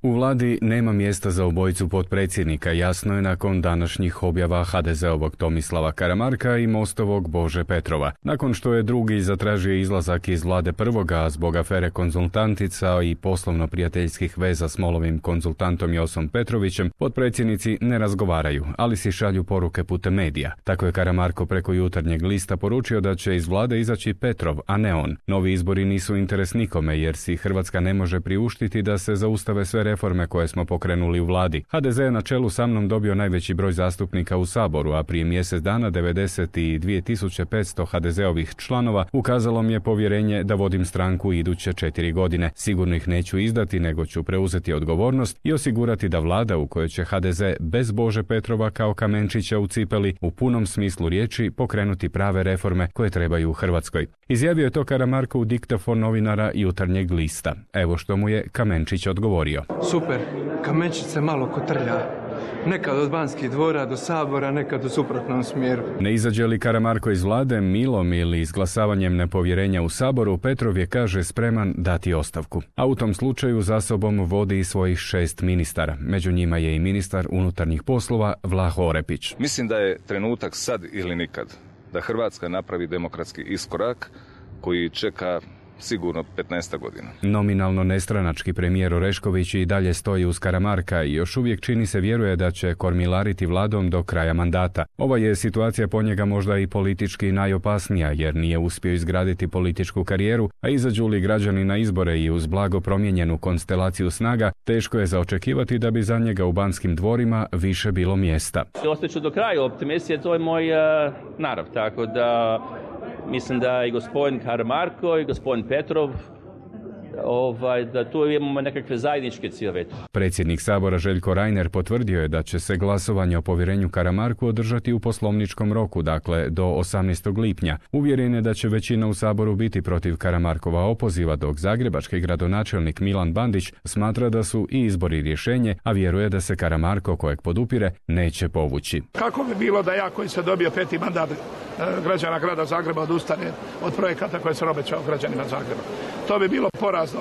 U vladi nema mjesta za obojicu potpredsjednika, jasno je nakon današnjih objava HDZ-ovog Tomislava Karamarka i Mostovog Bože Petrova. Nakon što je drugi zatražio izlazak iz vlade prvoga zbog afere konzultantica i poslovno-prijateljskih veza s MOL-ovim konzultantom Josom Petrovićem, potpredsjednici ne razgovaraju, ali si šalju poruke putem medija. Tako je Karamarko preko Jutarnjeg lista poručio da će iz vlade izaći Petrov, a ne on. Novi izbori nisu interes nikome jer si Hrvatska ne može priuštiti da se zaustave sve reforme koje smo pokrenuli u vladi. HDZ je na čelu sa mnom dobio najveći broj zastupnika u Saboru, a prije mjesec dana 92.500 HDZ-ovih članova ukazalo mi je povjerenje da vodim stranku iduće 4 godine. Sigurno ih neću izdati, nego ću preuzeti odgovornost i osigurati da vlada u kojoj će HDZ bez Bože Petrova kao kamenčića u cipeli u punom smislu riječi pokrenuti prave reforme koje trebaju u Hrvatskoj. Izjavio je to Karamarko u diktafon novinara Jutarnjeg lista. Evo što mu je kamenčić odgovorio. Super, kamenčić se malo kotrlja. Nekad od Banskih dvora do Sabora, nekad u suprotnom smjeru. Ne izađe li Karamarko iz vlade milom ili izglasavanjem nepovjerenja u Saboru, Petrov je, kaže, spreman dati ostavku. A u tom slučaju za sobom vodi i svojih 6 ministara. Među njima je i ministar unutarnjih poslova Vlaho Orepić. Mislim da je trenutak sad ili nikad da Hrvatska napravi demokratski iskorak koji čeka sigurno 15 godina. Nominalno nestranački premijer Orešković i dalje stoji uz Karamarka i još uvijek čini se vjeruje da će kormilariti vladom do kraja mandata. Ova je situacija po njega možda i politički najopasnija jer nije uspio izgraditi političku karijeru, a izađu li građani na izbore i uz blago promijenjenu konstelaciju snaga, teško je za očekivati da bi za njega u Banskim dvorima više bilo mjesta. Ostaću do kraja optimist, jer to je moj narav, tako da mislim da i gospodin Karamarko i gospodin Petrov da tu imamo nekakve zajedničke ciljeve. Predsjednik Sabora Željko Reiner potvrdio je da će se glasovanje o povjerenju Karamarku održati u poslovničkom roku, dakle do 18. lipnja. Uvjeren je da će većina u Saboru biti protiv Karamarkova opoziva, dok zagrebački gradonačelnik Milan Bandić smatra da su i izbori rješenje, a vjeruje da se Karamarko, kojeg podupire, neće povući. Kako bi bilo da ja koji sam dobio 5. mandat građana grada Zagreba odustane od projekata koje sam obećao građanima Zagreba? To bi bilo porazno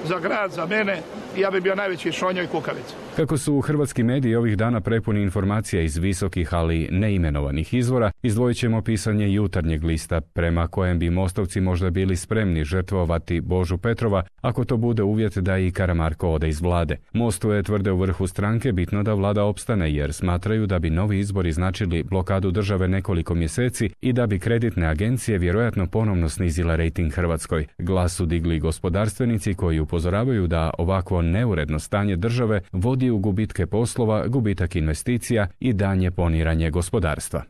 za grad, za mene i ja bi bio najveći šonjoj kukavica. Kako su hrvatski mediji ovih dana prepuni informacija iz visokih, ali neimenovanih izvora, izdvojit ćemo pisanje Jutarnjeg lista, prema kojem bi mostovci možda bili spremni žrtvovati Božu Petrova, ako to bude uvjet da i Karamarko ode iz vlade. Mostu je, tvrde u vrhu stranke, bitno da vlada opstane, jer smatraju da bi novi izbori značili blokadu države nekoliko mjeseci i da bi kreditne agencije vjerojatno ponovno snizile rejting Hrvatskoj. Glas su digli gospodarstvenici koji upozoravaju da ovakvo neuredno stanje države vodi u gubitke poslova, gubitak investicija i daljnje poniranje gospodarstva.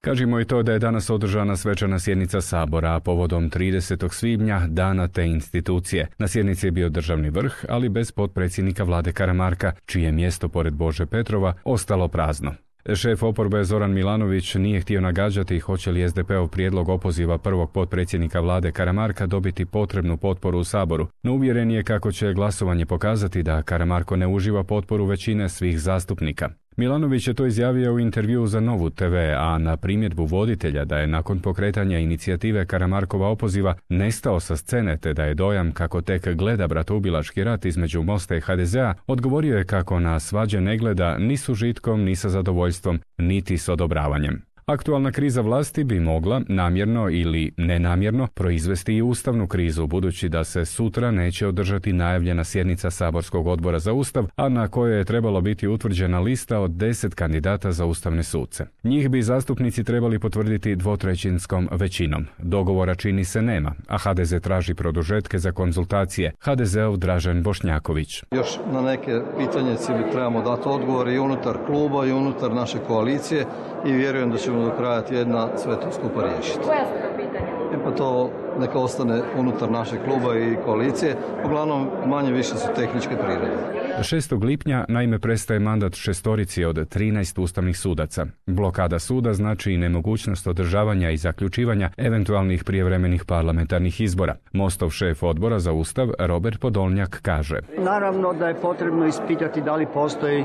Kažimo i to da je danas održana svečana sjednica Sabora, a povodom 30. svibnja, dana te institucije. Na sjednici je bio državni vrh, ali bez potpredsjednika vlade Karamarka, čije mjesto pored Bože Petrova ostalo prazno. Šef oporbe Zoran Milanović nije htio nagađati hoće li SDP-ov prijedlog opoziva prvog potpredsjednika vlade Karamarka dobiti potrebnu potporu u Saboru, no uvjeren je kako će glasovanje pokazati da Karamarko ne uživa potporu većine svih zastupnika. Milanović je to izjavio u intervjuu za Novu TV, a na primjedbu voditelja da je nakon pokretanja inicijative Karamarkova opoziva nestao sa scene te da je dojam kako tek gleda bratoubilački rat između Mosta i HDZ-a, odgovorio je kako na svađe ne gleda ni s užitkom, ni sa zadovoljstvom, niti s odobravanjem. Aktualna kriza vlasti bi mogla, namjerno ili nenamjerno, proizvesti i ustavnu krizu, budući da se sutra neće održati najavljena sjednica Saborskog odbora za Ustav, a na kojoj je trebalo biti utvrđena lista od 10 kandidata za ustavne suce. Njih bi zastupnici trebali potvrditi dvotrećinskom većinom. Dogovora čini se nema, a HDZ traži produžetke za konzultacije. HDZ-ov Dražen Bošnjaković. Još na neke pitanje trebamo dati odgovor i unutar kluba i unutar naše koalicije i vjerujem da ćemo do kraja tjedna sve to skupa riješiti. Koja su to pitanja? Pa to neka ostane unutar našeg kluba i koalicije. Uglavnom, manje više su tehničke prirode. 6. lipnja naime prestaje mandat 6 od 13 ustavnih sudaca. Blokada suda znači i nemogućnost održavanja i zaključivanja eventualnih prijevremenih parlamentarnih izbora. Mostov šef odbora za Ustav Robert Podolnjak kaže: Naravno da je potrebno ispitati da li postoji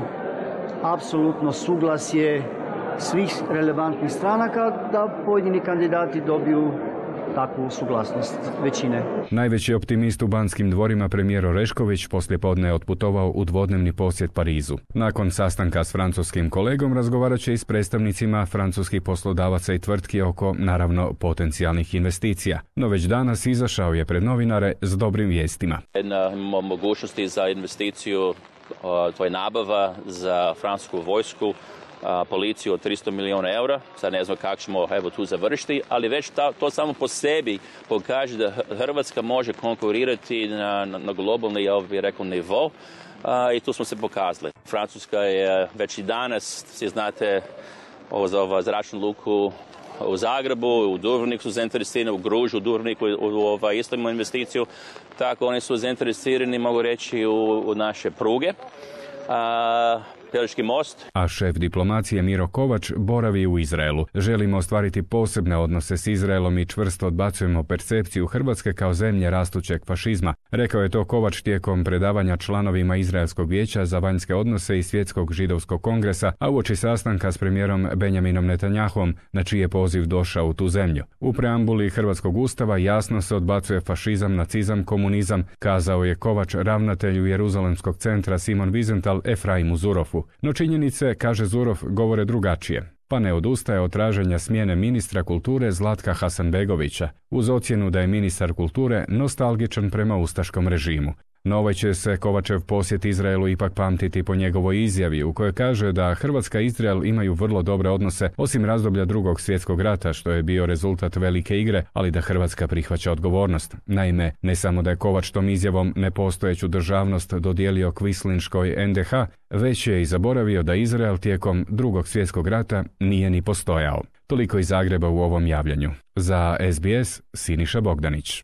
apsolutno suglasje svih relevantnih stranaka da pojedini kandidati dobiju takvu suglasnost većine. Najveći optimist u Banskim dvorima premijer Orešković poslijepodne je otputovao u dvodnevni posjet Parizu. Nakon sastanka s francuskim kolegom razgovarat će i s predstavnicima francuskih poslodavaca i tvrtki oko, naravno, potencijalnih investicija. No već danas izašao je pred novinare s dobrim vijestima. Imamo mogućnosti za investiciju, to je nabava za francusku vojsku, policiju od 300 milijuna eura. Sad ne znam kako ćemo tu završiti, ali već to samo po sebi pokaže da Hrvatska može konkurirati na globalni, ja bih rekao, nivo. I tu smo se pokazali. Francuska je već i danas, svi znate, za zračnu luku u Zagrebu, u Dubrovniku su zainteresirani, u Gružu, u Dubrovniku isto imamo investiciju. Tako oni su zainteresirani, mogu reći, u naše pruge. Pelješki most. A šef diplomacije Miro Kovač boravi u Izraelu. Želimo ostvariti posebne odnose s Izraelom i čvrsto odbacujemo percepciju Hrvatske kao zemlje rastućeg fašizma. Rekao je to Kovač tijekom predavanja članovima Izraelskog vijeća za vanjske odnose i Svjetskog židovskog kongresa, a uoči sastanka s premijerom Benjaminom Netanyahom, na čiji je poziv došao u tu zemlju. U preambuli Hrvatskog ustava jasno se odbacuje fašizam, nacizam, komunizam, kazao je Kovač ravnatelju Jeruzalemskog centra Simon Wiesenthal Efraimu Zurofu. No činjenice, kaže Zurov, govore drugačije. Pa ne odustaje od traženja smjene ministra kulture Zlatka Hasanbegovića, uz ocjenu da je ministar kulture nostalgičan prema ustaškom režimu. No ovaj će se Kovačev posjet Izraelu ipak pamtiti po njegovoj izjavi u kojoj kaže da Hrvatska i Izrael imaju vrlo dobre odnose osim razdoblja Drugog svjetskog rata, što je bio rezultat velike igre, ali da Hrvatska prihvaća odgovornost. Naime, ne samo da je Kovač tom izjavom nepostojeću državnost dodijelio Kvislinškoj NDH, već je i zaboravio da Izrael tijekom Drugog svjetskog rata nije ni postojao. Toliko iz Zagreba u ovom javljanju. Za SBS, Siniša Bogdanić.